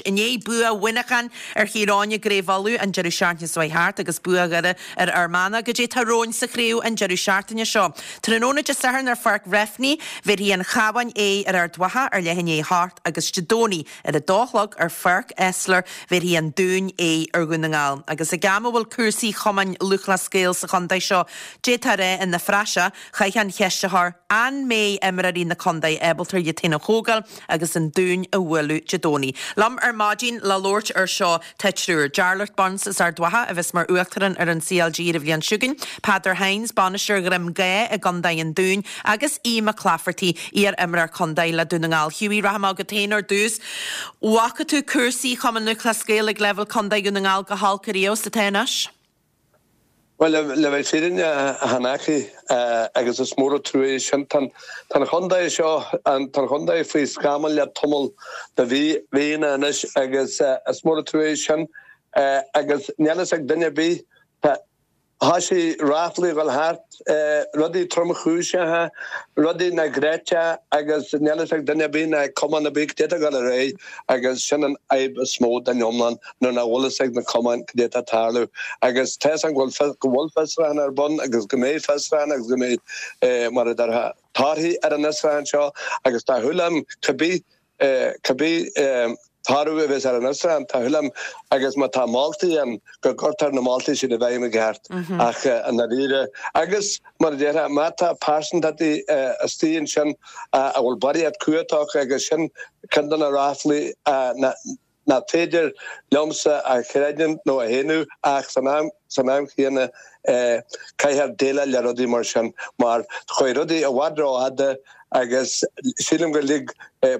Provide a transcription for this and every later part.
I ndiaidh bua Mhuineacháin ar Chill Eoin i gCraobh Uladh an deireadh seachtaine seo thart agus bua Dhoire ar Fhear Manach, goidé tá romhainn sa chraobh an deireadh seachtaine seo. Tráthnóna Dé Sathairn ar Pháirc Bhreifne, bhéarfaidh an Chabhán aghaidh ar Ard Mhacha ar leath i ndiaidh a hocht agus Dé Domhnaigh ar a dó a chlog ar Pháirc Esler, bhéarfaidh an Dún aghaidh ar Dhún na nGall. Agus ag am a bhfuil cúrsaí Chumann Lúthchleas Gael sa chontae seo, d'fhéadfá a rá, ina phraiseach, chaithfeá an cheist a chur, an mbeidh imreoirí na contae ábalta iad féin a thógáil agus an Dún a bhualadh Dé Domhnaigh? Liom ar maidin le labhairt ar seo tá triúr, Jarlath Burns as Ard Mhacha a bheas mar Uachtarán ar an CLG ar an bhliain seo chugainn, Peadar Hynes, bainisteoir Dhroim Gá i gContae an Dúin agus Aodh Mac Laifeartaigh, iar-imreoir contae le Dún na nGall. Hughie, rachaidh mé chugat féin ar dtús. Bhfaca tú cúrsaí Chumann Lúthchleas Gael ag leibhéal contae Dhún na nGall chomh holc ariamh is atá anois? Bhuel, le bheith fírinneach, chan fhacaidh, agus is mór an trua é sin. Tá an chontae seo, tá an chontae faoi scamall le tamall de mhíonna anois agus is mór an trua é sin agus níl a fhios ag duine ar bith, tá thoisigh ráflaí a dhul thart, rudaí tromchúiseacha, rudaí nach gcreidfeá agus níl a fhios ag duine ar bith ná ag cumann ar bith cad é atá ag dul ar aghaidh agus sin an fhadhb is mó den iomlán nuair nach bhfuil fhios ag na cumainn cad é atá ag tarlú agus tá fhios agam go bhfuil go bhfuil fiosrúchán ar bun agus go mbeidh fiosrúchán agus go mbeidh mar a déarfá torthaí ar an fhiosrúchán seo agus tá shúil agam cibé Cibé toradh a bheas ar an fhiosrúchán, tá shúil agam, agus má tá moltaí ann, go gcuirtear na moltaí sin i bhfeidhm i gceart. Ach i ndáiríre, agus mar a déarfá, má tá pearsantachtaí istigh ansin a bhfuil barraíocht cumhacht acu agus sin ceann de na ráflaí nach féidir liomsa a chreidiúint nó a shéanadh ach san am san am chéanna caithfear déileáil le rudaí mar sin mar chuaigh rudaí i bhfad rófhada agus sílim gur lig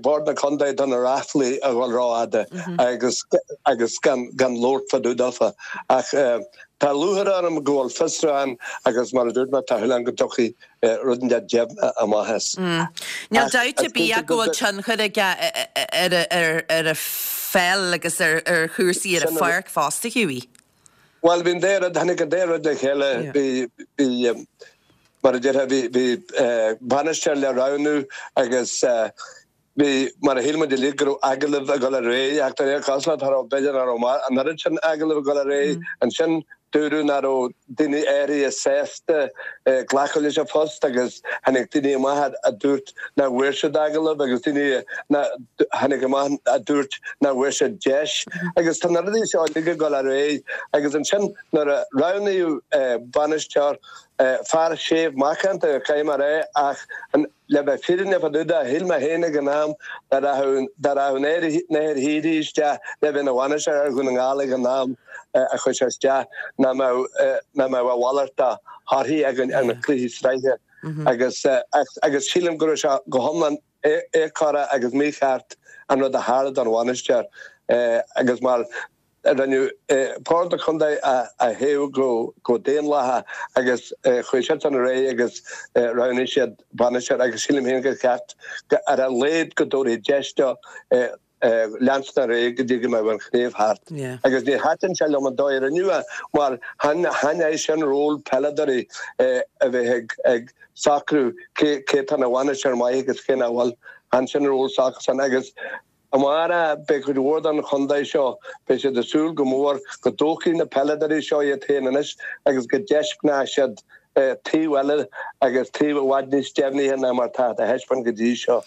Bord na Contae do na ráflaí a dhul rófhada agus agus gan gan labhairt fá dtaobh daofa. Ach tá lúcháir orm go bhfuil fiosrúchán agus mar a dúirt mé tá shúil agam go dtiocfaidh rud inteacht deimhneach amach as. Níl dabht ar bith ach go bhfuil tionchar aige ar an pheil agus ar chúrsaí ar an pháirc fosta, Hughie. Bhuel, bhí an dá rud, tháinig an dá rud le chéile. Bhí, bhí, mar a déarfá, bhí, bhí bainisteoir le roghnú agus bhí, mar a shíl muid uilig, go raibh agallaimh ag dul ar aghaidh ach de réir cosúlachta, cha raibh, b'fhéidir nach raibh an oiread sin agallamh ag dul ar aghaidh. Ansin dúradh nach raibh daoine áirithe sásta glacadh leis an phost agus tháinig daoine amach a dúirt nach bhfuair siad agallamh agus daoine tháinig amach a dúirt nach bhfuair siad deis agus tá na rudaí seo uilig ag dul ar aghaidh agus ansin nuair a roghnaíodh bainisteoir, fear séimh macánta, caithfidh mé a rá ach an Le bheith fírinneach fá dtaobh de, shíl mé féin ag an am dá rachadh dá rachadh Nathair Heery isteach le bheith ina bhainisteoir ar Dhún na nGall ag an am a chuaigh sé isteach, nach mbeadh nach mbeadh a mhalairt de thorthaí againn ar na cluichí sraithe. Agus agus sílim go raibh sé go hiomlán éagórach agus mícheart an rud a tharla don bhainisteoir agus mar Rinneadh Bord na Contae a thoghadh go daonlathach agus chuaigh siadsan ar aghaidh agus roghnaigh siad bainisteoir agus sílim féin gur cheart ar a laghad go dtabharfaí deis dó leanstan ar aghaidh go dtí go mbeadh an chraobh thart. Agus ní thaitin sé liom an dóigh a rinneadh é mar chan é sin ról peileadóirí a bheith ag socrú cé atá ina bhainisteoir maith agus cé nach bhfuil. Chan sin ról s'acusan agus Amárach, beidh cuid mhór den chontae seo, beidh siad ag súil go mór go dtógfaidh na peileadóirí seo iad féin anois agus go dtaispeánfaidh siad taobh eile agus taobh i bhfad níos deimhnithe ná mar atá á thaispeáint go dtí seo.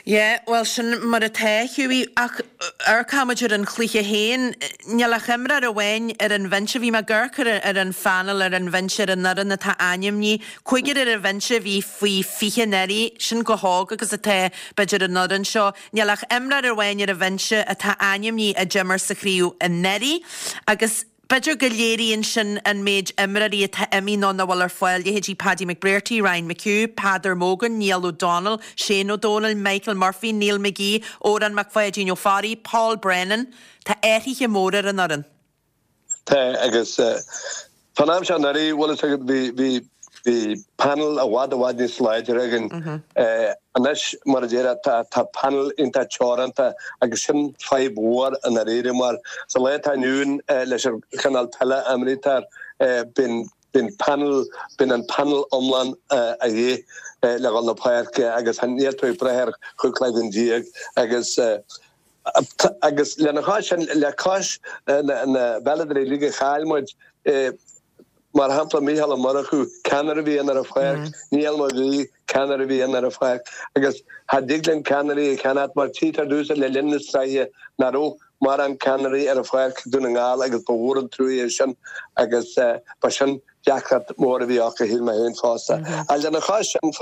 Yeah, bhuel sin mar atá, Hughie, ach amharcfaidh muid ar an chluiche féin. Níl ach imreoir amháin ar an bhinse, bhí mé ag amharc ar an phainéal ar an bhinse ar an fhoireann atá ainmnithe, cúigear ar an bhinse a bhí faoi 20 anuraidh, sin chomh hóg agus atá b'fhéidir an fhoireann seo. Níl ach imreoir amháin ar an bhinse atá ainmnithe a d'imir sa chraobh anuraidh agus b'fhéidir go léiríonn sin an méid imreoirí atá imithe nó nach bhfuil ar fáil, leithéidí Paddy McBrearty, Ryan McHugh, Peadar Mogan, Niall O'Donnell, Shane O'Donnell, Michael Murphy, Neil McGee, Odhrán Mac Pháidín Ó Fearraigh, Paul Brennan. Tá athruithe móra ar an fhoireann. Tá, agus fán am seo anuraidh, bhfuil fhios agat, bhí, bhí, bhí panel i bhfad, i bhfad níos láidre againn. Anois, mar a déarfá, tá, tá panel iontach teoranta agus sin fadhb mhór i ndáiríre mar sa lá atá inniu ann leis an chineál peile a imrítear, bíonn, bíonn panel, bíonn an panel iomlán a dhíth le dhul na páirce agus níl tú ag brath ar chúpla duine agus. Agus lena chois sin, le cois na bpeileadóirí uilig a chaill muid, mar shampla Mícheál Ó Murchú, ceannaire a bhí ann ar an pháirc, Niall Mag Aoidh, ceannaire a bhí ann ar an pháirc, agus cha dtig linn ceannairí a cheannacht mar tchítear domhsa le linn na sraithe nach raibh mórán ceannairí ar an pháirc ag Dún na nGall agus ba mhór an trua é sin agus ba sin deacracht mhór a bhí acu, shíl mé féin fosta. Ach lena chois sin,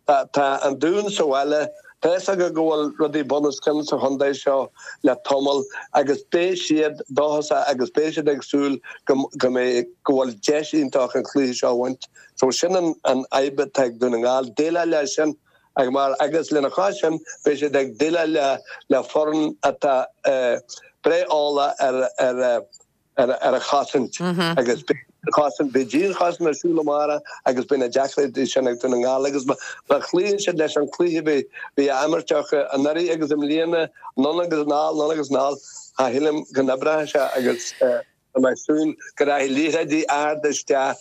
Tá an Dún sa bhaile. Tá fhios acu go bhfuil rudaí bunoscionn sa chontae seo le tamall agus beidh siad dóchasach agus beidh siad ag súil go mbeidh, go bhfuil deis iontach an cluiche seo a bhaint. So sin an fhadhb atá ag Dún na nGall, déileáil leis sin ach mar agus lena chois sin beidh siad ag déileáil le foireann atá breá eolach ar ar ar an chosaint agus beidh an chosaint, beidh dianchosaint ar siúl amárach agus beidh na deacrachtaí sin ag Dún na nGall agus má chloíonn siad leis an cluiche a bhí á imirt acu anuraidh agus i mbliana, anonn agus anall, anonn agus anall, cha shílim go n-oibreoidh sé agus tá mé ag súil go rachaidh liathróidí arda isteach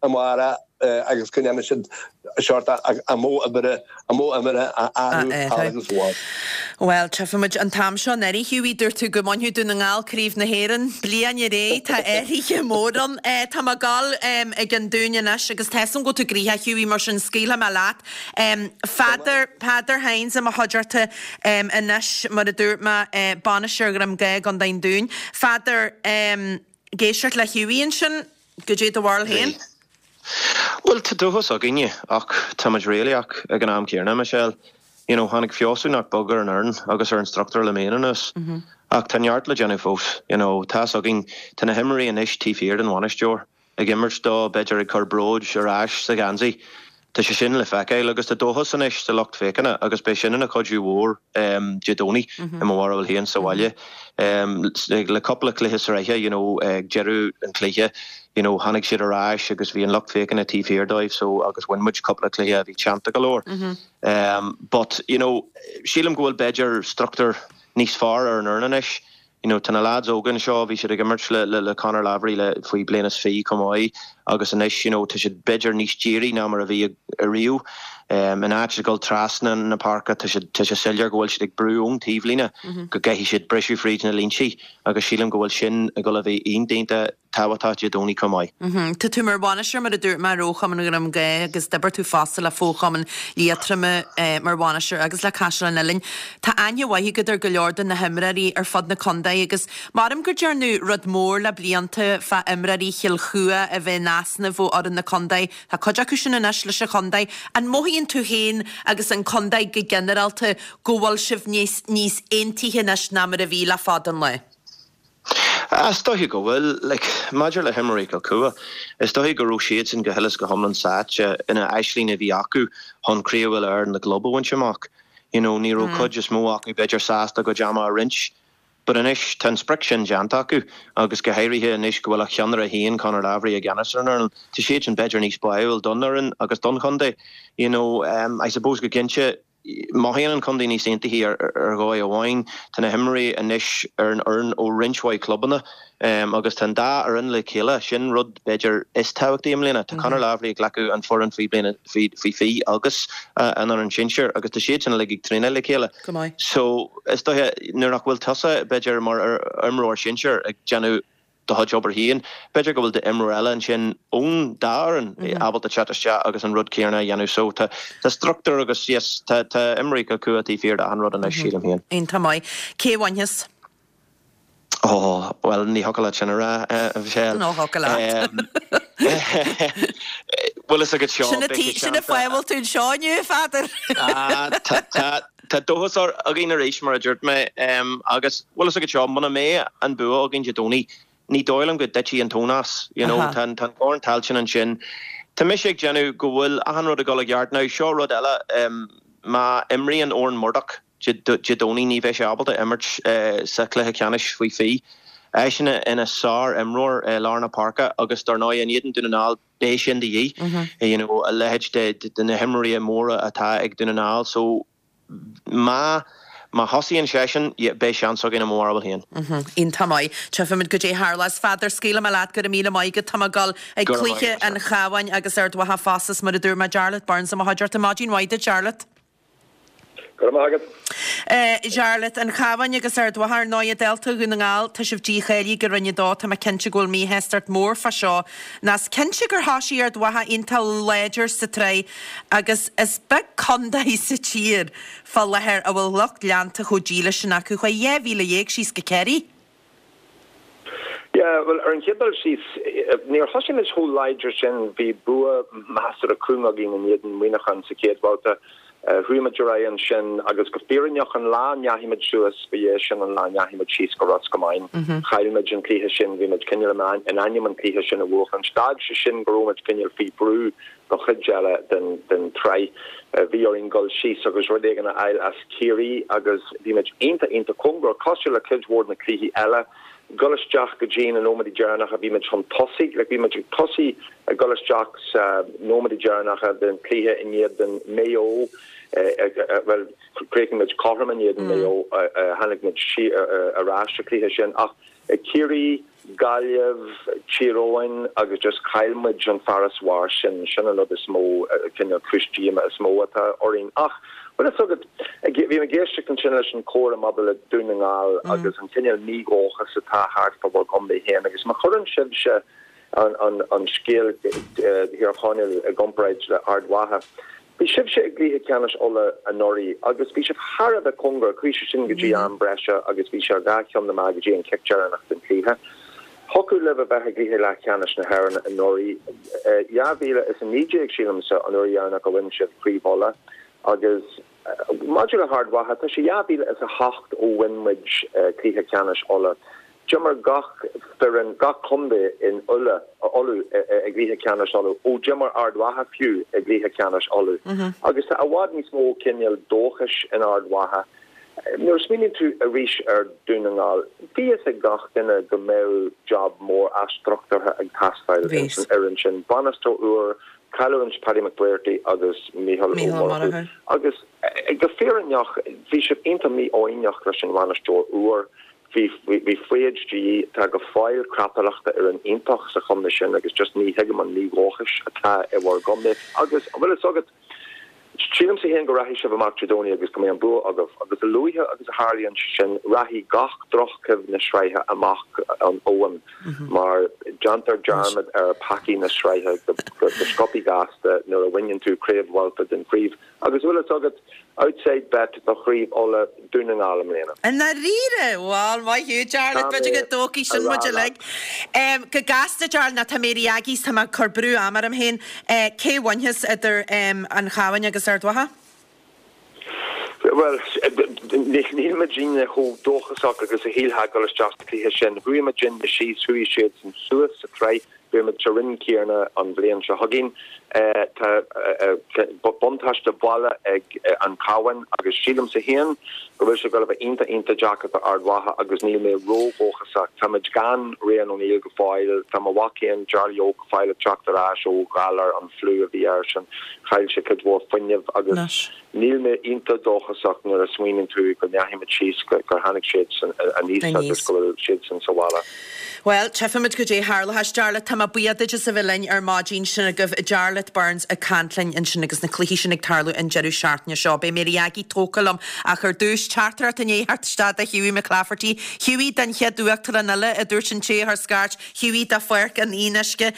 amárach agus go ndéanfaidh siad seort a modh oibre, a modh imeartha a athrú thall agus abhus. Bhuel, tchífimid an t-am seo anuraidh, Hughie, dúirt tú go mbainfeadh Dún na nGall Craobh na hÉireann. Bliain ar aghaidh, tá athruithe mór ann. Tá mé ag dul ag an Dún anois agus tá 'fhios a'm go bhfuil tú gnoitheach, Hughie, mar sin scaoilfidh mé leat. Peadar, Peadar Hynes i mo chuideachta anois, mar a dúirt mé, bainisteoir Dhroim Ghá i gContae an Dúin. Pheadair, ag éisteacht le Hughie ansin. Goidé do bharúil féin? Bhí. Bhuel, tá dóchas againne, ach tá muid réalaíoch ag an am céanna, Michelle. You know, tháinig feabhsú nach beag ar an fhoireann agus ar an struchtúr le bliain anuas. Ach tá neart le déanamh fós. You know, tá's againn, tá na himreoirí anois taobh thiar den bhainisteoir, ag imirt dó, b'fhéidir ag cur bróid ar ais sa gheansaí. Tá sé sin le feiceáil agus tá dóchas anois sa lucht féachana agus beidh sin ina chuidiú mhór Dé Domhnaigh i mo bharúil féin sa bhaile. Le cúpla cluiche sraithe you know ag deireadh an chluiche you know tháinig siad ar ais agus bhí an lucht féachana taobh thiar dóibh so agus bhain muid cúpla cluiche a bhí teannta go leor. But you know sílim go bhfuil b'fhéidir struchtúr níos fearr ar an fhoireann anois. You know, tá na lads óga anseo, bhí siad ag imirt le, le, le Conor Lavery le, faoi bliain is fiche chomh maith agus anois, you know, tá siad b'fhéidir níos dírí ná mar a bhí ariamh. Um, in áit a dhul trasna na páirce, tá siad, tá sé soiléir go bhfuil siad ag brú ón taobhlíne go gcaithfidh siad briseadh fríd na línte agus sílim go bhfuil sin ag dul a bheith iontach, iontach tábhachtach Dé Domhnaigh chomh maith. Tá tú mar bhainisteoir, mar a dúirt mé, ar fhochumann Dhroim Ghá agus d'oibir tú fosta le fochumann Liatroma mar bhainisteoir agus le Caiseal an Oileáin. Tá aithne mhaith agat ar go leor de na himreoirí ar fud na contae agus maram gur dearnadh rud mór le blianta fá imreoirí Chill Chua a bheith in easnamh ó fhoireann na contae. Tá cuid acu sin anois leis an chontae. An mothaíonn tú féin agus an contae go ginearálta go bhfuil sibh níos níos aontaithe anois ná mar a bhí le fada an lá? Is dóiche go bhfuil. Like, maidir le himreoirí Chill Chua, is dóiche go raibh siadsan go huile is go hiomlán sáite ina aisling a bhí acu chun Craobh Uile-Éireann na gClub a bhaint amach. You know, ní raibh cuid is mó acu b'fhéidir sásta a gcuid ama a roinnt. But anois, tá an sprioc sin déanta acu agus go háirithe anois go bhfuil a cheannaire féin, Conor Lavery, i gceannas ar an fhoireann, tá siadsan b'fhéidir níos báúil don fhoireann agus don chontae. You know, I suppose go cinnte, Mothaíonn an contae níos aontaithe ar dhóigh amháin. Tá na himreoirí anois ar an fhoireann ó roinnt mhaith clubanna agus tá an dá fhoireann le chéile. Sin rud b'fhéidir is tábhachtaí i mbliana. Tá Conor Lavery ag glacadh an foireann faoi bliana faoi 20 agus an fhoireann sinsir agus tá siad sin uilig ag traenáil le chéile. So is dóiche nuair nach bhfuil tusa b'fhéidir mar imreoir sinsir ag déanamh do chuid obair féin. B'fhéidir go bhfuil d'imreoir eile ansin ón dá fhoireann ábalta teacht isteach agus an rud céanna a dhéanamh. So tá struchtúr agus yes, tá tá imreoirí Chill Chua taobh thiar d'achan rud anois, sílim féin. Iontach maith. Cé a bhainfeas? Ó, bhuel, ní thiocfadh leat sin a rá, a Mhichelle. Nó thiocfadh leat. Bhfuil fhios agat seo, Sin an fáth a bhfuil tú anseo inniu, a Pheadair. Tá, tá. Tá dóchas againn arís, mar a dúirt mé, agus bhfuil fhios agat seo, muna mbeidh an bua againn Dé Domhnaigh, ní dóigh liom go dtitfidh an tóin as. You know, tá an Corn Tailteann ansin. Tá mise ag déanamh go bhfuil achan rud ag dul i gceart. Now, seo rud eile, má imríonn Odhrán Murdock Dé Domhnaigh, ní bheidh sé ábalta imirt sa chluiche ceannais faoi 20. Eisean ina sár-imreoir i lár na páirce agus dar ndóigh in éadan Dún na nGall, beidh sin de dhíth, you know, a leithéid de na himreoirí móra atá ag Dún na nGall. So má má thosaíonn seisean, yeah, beidh seans againn i mo bharúil féin. Iontach maith. Tchífimid goidé a tharlós. A Pheadair, scaoilfidh mé leat, go raibh míle maith agat. Tá mé ag dul ag cluiche an Chabháin agus Ard Mhacha fosta, mar a dúirt mé, Jarlath Burns i mo chuideachta. Maidin mhaith duit, Jarlath. Go raibh maith agat. Jarlath, An Chabhán agus Ard Mhacha, ar ndóigh, dálta Dhún na nGall, tá sibh dícháilithe go Roinn 2, tá mé cinnte go bhfuil míshástacht mór fá seo. Nó is cinnte gur thosaigh Ard Mhacha iontach láidir sa tsraith agus is beag contae sa tír fá láthair a bhfuil lucht leanta chomh dílis sin acu. Chuaigh 12,000 síos go Ciarraí. Yeah, bhuel, ar an chéad dul síos, níor thosaigh muid chomh láidir sin. Bhí bua measartha cúng againn in éadan Mhuineacháin sa chéad bhabhta. Chuaigh muid ar aghaidh ansin agus go fírinneach an lá a ndeachaigh muid suas, ba é sin an lá a ndeachaigh muid síos go Ros Comáin. Chaill muid an cluiche sin, bhí muid cineál in ainm an cluiche sin a bhuachaint. D'fhág sé sin go raibh muid cineál faoi bhrú don chuid eile den tsraith. Bhí orainn dul síos agus rud éigin a fháil as Ciarraí agus bhí muid iontach, iontach cóngarach, cosúil le cuid mhór de na cluichí eile, dul isteach go dtí na nóiméadaí deireanacha, bhí muid chun tosaigh, like bhí muid ag tosaí ag dul isteach sa nóiméadaí deireanacha den chluiche in éadan Maigh Eo, bhuel, chríochnaigh muid cothrom in éadan Maigh Eo, tháinig muid ar ais sa chluiche sin ach Ciarraí, Gaillimh, Tír Eoghain agus just chaill muid an farasbarr sin, sin an rud is mó, cineál cúis díoma is mó atá orainn. Ach, bhfuil fhios agat, bhí mé ag éisteacht ansin leis an chomhrá maidir le Dún na nGall agus an cineál mídhóchas atá thart fá bhur gcontae féin agus má chuireann sibhse an scéal Thír Chonaill i gcomparáid le Ard Mhacha, Bhí sibhse i gcluiche ceannais Uladh anuraidh agus bhí sibh thar a bheith cóngarach, chuaigh sé sin go dtí am breise agus bhí sé ar dhá cheann na meá go dtí an cic deireanach den chluiche. Thiocfadh libh a bheith i gcluiche leathcheannais na hÉireann anuraidh. 2019, sílimse, an uair dheireanach a bhain sibh Craobh Uladh agus maidir le hArd Mhacha, tá sé 2008 ó bhain muid cluiche ceannais Uladh. D'imir gach foireann, gach contae in Uladh, Uladh i gcluiche ceannais Uladh, ó d'imir Ard Mhacha fiú i gcluiche ceannais Uladh. Agus tá i bhfad níos mó cineál dóchais in Ard Mhacha. Nuair a smaoiníonn tú arís ar Dún na nGall, bhí fhios ag gach duine go mbeadh job mór athstruchtúrtha ag teastáil ins an fhoireann sin. Bainisteoir úr, cailliúint Paddy McBrearty agus Mícheál Ó Murchú. Agus go fírinneach, bhí siad iontach mífhoighneach leis an bhainisteoir úr. Bhí, bhí foighid de dhíth. Tá go fóill crapaireachta ar an iontach sa chontae sin agus just ní thuigim an mídhóchais atá i bhur gcontae. Agus, an bhfuil fhios agat, sílimse féin go rachaidh sibh amach Dé Domhnaigh agus go mbeidh an bua agaibh. Agus a luaithe agus a tharlaíonn sé sin, rachaidh gach drochchuimhne sraithe amach an abhainn mar déantar dearmad ar peacaí na sraithe go sciobthaí gasta nuair a bhaineann tú craobh bhabhta den chraobh. Agus bhfuil fhios agat, outside bet do Chraobh Uladh, Dún na nGall i mbliana. I ndáiríre? Bhal, maith thú, Jarlath, Tá b'fhéidir mé go dtógfaidh a sin rá muid leat. uilig. Go gasta, Jarlath, nó tá mé ar agaí 's tá mé ag cur brú ama orm féin. Cé a bhainfeas idir an Chabhán agus Ard Mhacha? Bhuel, níl muidinne chomh dóchasach agus a shílfeá ag dul isteach sa chluiche sin. Chuaigh muidinne síos, chuaigh siadsan suas sa tsraith. Beidh muid sa roinn chéanna an bhliain seo chugainn. Tá buntáiste baile ag an Chabhán agus sílimse féin go bhfuil sé ag dul a bheith iontach, iontach deacair do Ard Mhacha agus níl mé ródhóchasach. Tá muid gan Rian O'Neill go fóill. Tá mo mhac féin, Jarly Óg, go fóill ag teacht ar ais ó ghalar an fliú a bhí airsean. Chaill sé cuid mhór fuinnimh agus. Níl mé iontach dóchasach nuair a smaoiníonn tú go ndeachaigh muid síos, gur tháinig siadsan aníos agus go bhfuil siadsan sa bhaile. Bhuel, tchífimid goidé a tharlóchas. Jarlath, tá mé buíoch duit as a bheith linn ar maidin. Sin agaibh Jarlath Burns ag caint linn ansin agus na cluichí sin ag tarlú an deireadh seachtaine seo. Beidh Mary Aggie tógtha liom ach ar dtús, teachtaireacht i ndiaidh theacht isteach do Hughie McClafferty. Hughie, don chéad uachtarán eile, a dúirt an té a chuir scairt. Hughie do Pháirc an Fhionnuisce.